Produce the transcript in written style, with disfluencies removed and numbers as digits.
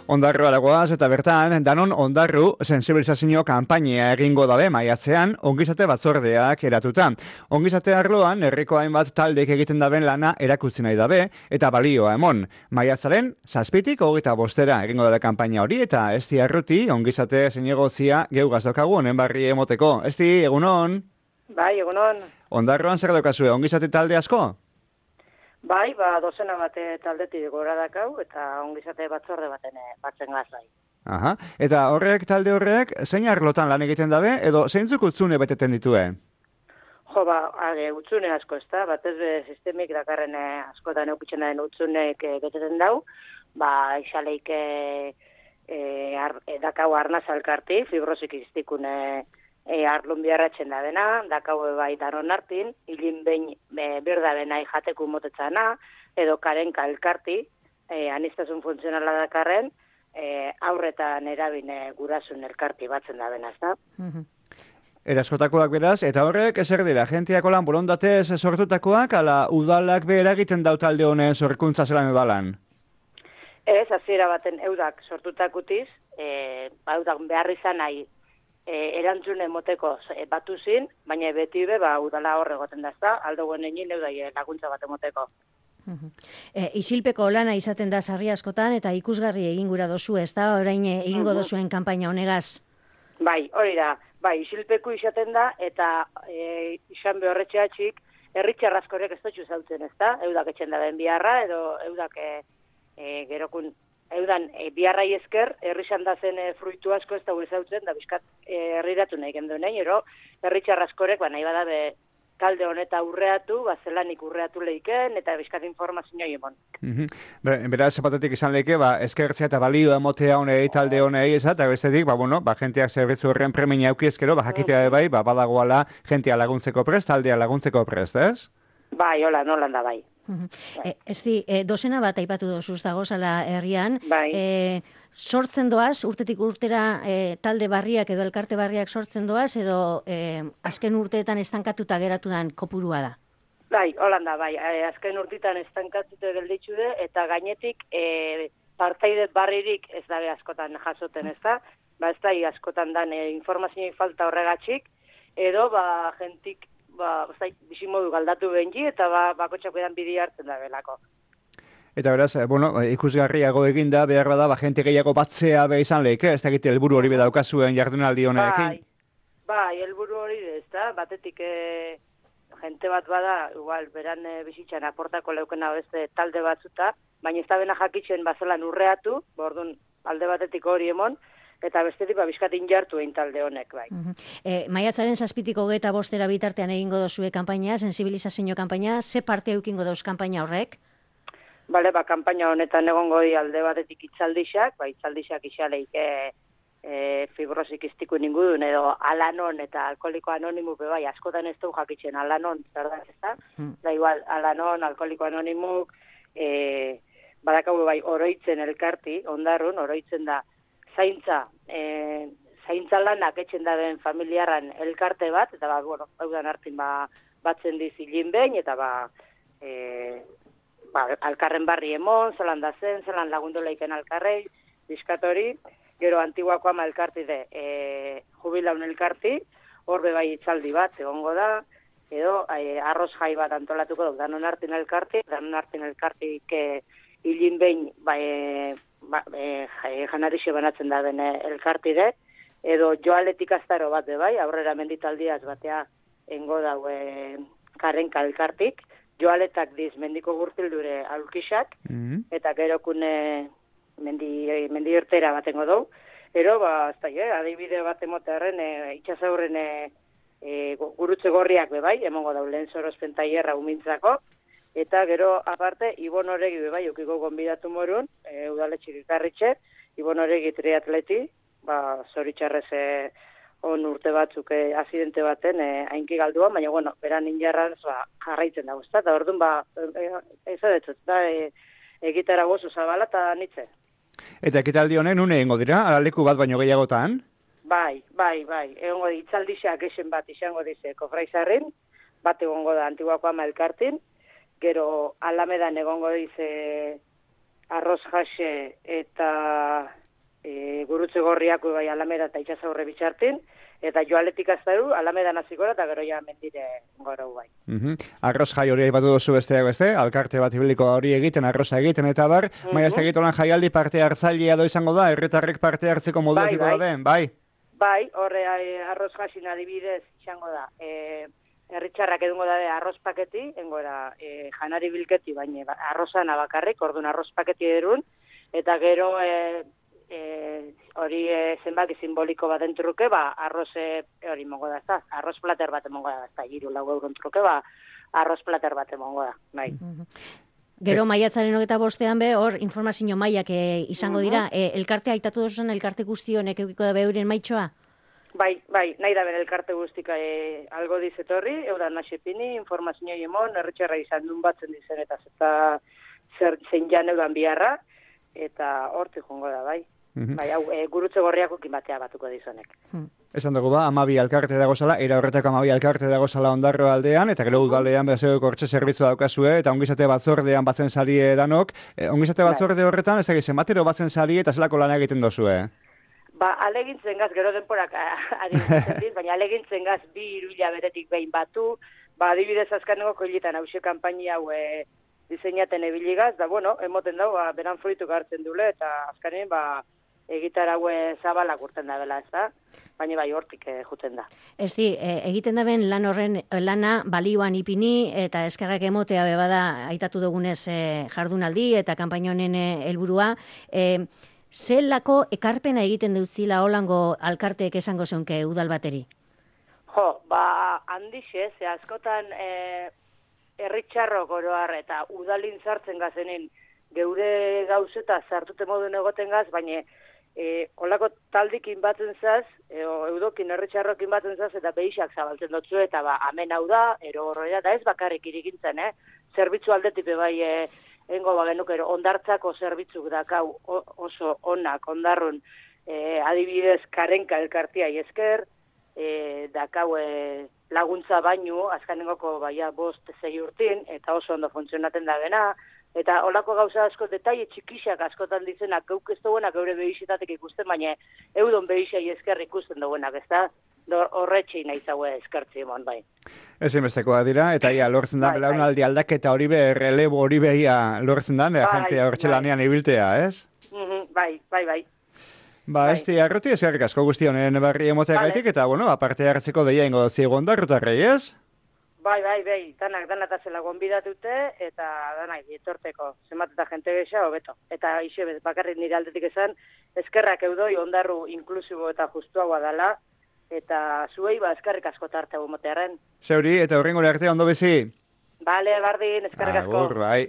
Ondarroa dagoaz eta bertan, danon ondarru sensibilizazio kanpainia egingo dabe maiatzean ongizate batzordeak eratuta. Ongizate arloan herriko hainbat taldek egiten daben lana erakutsi nahi dabe eta balioa emon. Maiatzaren 7tik 25 egingo dabe kanpaina hori eta esti arruti ongizate zinegozia geugazdokagu honen barri emoteko. Esti, egunon? Bai, egunon. Ondarroan zer daukazue, ongizate talde asko? Bai, dozena bate taldetik gora dakau, eta ongizate batzorde batzen gazai. Aha, eta talde horrek, zein arlotan lan egiten dabe, edo zeintzuk utzune beteten ditue? Jo, utzune asko ez da, batez be sistemik dakarren askotan eukitzen den utzunek beteten dau, isaleik dakau arnaz alkarti, fibrosik iztikune arlun biarratzen da dena, dakau bai daron hartin, hilin behin berda bena jateku motetzana, edo karen kalkarti, anistazun funtzionala dakarren, aurretan erabine gurasun elkarti batzen da bena, ez da? Eraskotakoak beraz, eta horrek ezer dira, jentiako lan borondatez sortutakoak, ala udalak behera egiten dau talde honen sorkuntza zelan edalan? Ez, hasiera baten eudak sortutakutiz, eudak behar izan nahi, erantzune moteko batu zin, baina beti udala horre goten dazta, aldo guen egin eudai laguntza bat emoteko. Isilpeko lana izaten da sarri askotan eta ikusgarri egin gura dozu, ez da, orain egingo dozuen kanpaina honegaz? Bai, hori da, isilpeku izaten da, eta izan behorretxeatxik, erritxarrazkorek ez dutxu zautzen, ez da, eudak etxen da den biharra, edo eudak gerokun, eudan biharrai esker, herrizan da zen fruitu asko ez da zautzen, da bizkat herriratu nahi genduen, ero herritxarrazkorek, nahi bada talde honeta urreatu, zelanik urreatu lehiken, eta bizkat informazioa emon. Beraz, zapatetik izan lehike, eskertzea eta balio emotea honei talde honei ezat, eta bestetik, jenteak zerbitzu horren premia aukiezkero, jakitea bai, badagoala jentea laguntzeko prest, taldea laguntzeko prest, ez? Bai, hola, nolan da bai. Dozena bat aipatu dozuz dagozala herrian, sortzen doaz, urtetik urtera talde barriak edo elkarte barriak sortzen doaz, edo azken urteetan estankatuta geratu den kopurua da? Bai, holanda, bai, azken urteetan estankatuta gelditzu de, eta gainetik partaide barririk ez dabe askotan jasoten, ez da? Ez da, askotan dan informazioa falta horregatxik, edo jentik bizimodu galdatu benji, eta bakotxako edan bidi hartzen da belako. Eta beraz, ikusgarriago eginda, behar bada, jente gehiago batzea izan lehike, ez da egite helburu hori bedaukazuen jardunaldi honekin? Bai, helburu hori ez da, batetik jente bat bada, igual, beran bizitzan aportako leukena beste talde batzuta, baina ez da bena jakitzen bazelan urreatu, bordun alde batetik hori emon, eta bestetik bizkatin jartu egin talde honek, bai. Maiatzaren 7tik 25 bitartean egingo dozue kanpaina, sensibilizazio kanpaina, ze parte eukingo dauz kanpaina horrek? Bale, kanpaina honetan egongo di alde batetik itzaldixak, itzaldixak isaleik fibrosik iztiku ningudun, edo alanon eta alkoholiko anonimu bai, askotan ez du jakitzen alanon, zer da, ez da? Da igual, alanon, alkoholiko anonimuk, badakau bai, oroitzen elkarti, ondarrun, oroitzen da, zaintza lanak etxen daben familiaran elkarte bat, eta haudan hartin batzen dizilin behin, eta alkarren barri emon, zelan da zen, zelan lagundu leiken alkarrei, bizkatori, gero antiguako ama elkarti de jubilaun elkarti, horbe bai itzaldi bat, egongo da, edo arroz jai bat antolatuko dut, danon hartin elkartik hilin behin, janarixe banatzen da den elkartide, edo joaletik aztaro bat bai, aurrera menditaldiaz batea engo dau karenka elkartik, joaletak diz mendiko gurtildure aulkisak, eta gerokune mendi irtera bat engo dau, ero, adibide bat emotearen itxasaurren gurutze gorriak bai, emongo dau lehen sorospen taierra umintzako, eta gero, aparte, Ibon Oregi bai, ukiko gonbidatu morun, udaletxik ikarritxe, Ibon Oregi triatleti, zoritxarrez on urte batzuk azidente baten hainki galduan, baina, beran injarraz jarraitzen dago, eta orduan, ez edetzut, egitara gozu zabala eta nitze. Eta ekitaldi honen une egingo dira, araleku bat baino gehiagotan? Bai, egongo di, itzaldixak esen bat izango dize kofraizarrin, bat egongo da antiguako ama elkartin, gero Alamedan egongo dize arroz jase eta gurutze gorriak bai Alameda eta itxasaurre bitxartin, eta joaletik aztaru, Alamedan hasiko eta gero ja mendire goro bai. Arroz jai hori aipatu duzu besteak beste, alkarte bat ibiliko hori egiten, arroza egiten eta bar, maia ez egiten jaialdi parte hartzailea do izango da, herritarrek parte hartzeko moduakiko da den, bai? Bai, horre arroz jasin adibidez izango da, herritxarrak edungo da arroz paketi, engora janari bilketi, baina arrozan abakarrik, orduan arroz paketi erun, eta gero hori zenbaki simboliko bat entruke, arroz hori mongo da, ezta? Arroz plater bat emongo da, ezta? 3 truke, arroz plater bat emongo da, bai. Gero maiatzaren 25ean be, hor informazio mailak izango dira, elkartea aitatu duzuen elkarte guzti honek eukiko da beuren maitxoa? Bai, nahi da bere elkarte guztika algo dizetorri, eudan nasepini, informazio emon, herritxarra izan duen batzen dizen eta zein jan eudan biharra, eta hortik jongo da, bai. Bai, hau, gurutze gorriako batea batuko dizonek. Esan dugu 12 alkarte dagozala, era horretako 12 alkarte dagozala Ondarro aldean, eta gero udalean bezeo kortxe zerbitzua daukazue, eta ongizate batzordean batzen sarie danok. Ongizate batzorde horretan, ez egizen batero batzen sarie eta zelako lan egiten dozue? Alegintzen gaz, gero denporak aditzen dit, baina alegintzen gaz 2-3 hilabetetik behin batu, adibidez azkaneko koilitan hause kanpaini hau diseinaten ebiligaz, da bueno, emoten dago, beran fruituk hartzen dule, eta azkanen, egitar haue zabalak urten da bela, ez da? Baina bai hortik juten da. Ez di, egiten da ben lan horren lana balioan ipini eta eskerrak emotea bebada aitatu dugunez jardunaldi eta kanpaina honen helburua. Zelako ekarpena egiten dutzila holango alkarteek esango zeunke udal bateri? Handixe, askotan herritxarrok oroar eta udalin sartzen gazenen geure gauzeta sartute moduen egoten gaz, baina olako taldikin batzen zaz, eudokin herritxarrokin batzen zaz, eta behixak zabaltzen dutzu, eta amen hau da, ero horrela, da ez bakarrik irigintzen, zerbitzu aldetipe bai, engo genukero, ondartzako zerbitzuk dakau oso onak, ondarrun, adibidez karenka elkartia esker, dakau laguntza baino, azkanengoko 5-6 urtin, eta oso ondo funtzionaten da bena, eta olako gauza asko detaile txikixak askotan dizenak, geuk ez duenak geure behixetatek ikusten, baina eudon behixai esker ikusten duenak, ez da? Horretxein nahi zaue eskertzi emon, bai. Ezinbestekoa dira, eta lortzen da, belaunaldi aldaketa hori be, relebo hori behia lortzen da, jentea hortxelanean ibiltea, ez? Bai. Ez arroti eskerrik asko guzti honen barri emotea gaitik, eta, aparte hartzeko deia ingo ziego ondarrutarrei, ez? Bai, danak zela gonbidatute, eta danak etorteko, zenbat eta jente gesa, hobeto. Eta ixe bakarrik nire aldetik esan, eskerrak eudoi ondarru inklusibo eta justuagoa dala, eta zuei eskerrik asko tarte motearen. Zeuri, eta horrengore arte ondo bezi? Bale, bardin, eskerrik asko. Agur, bai.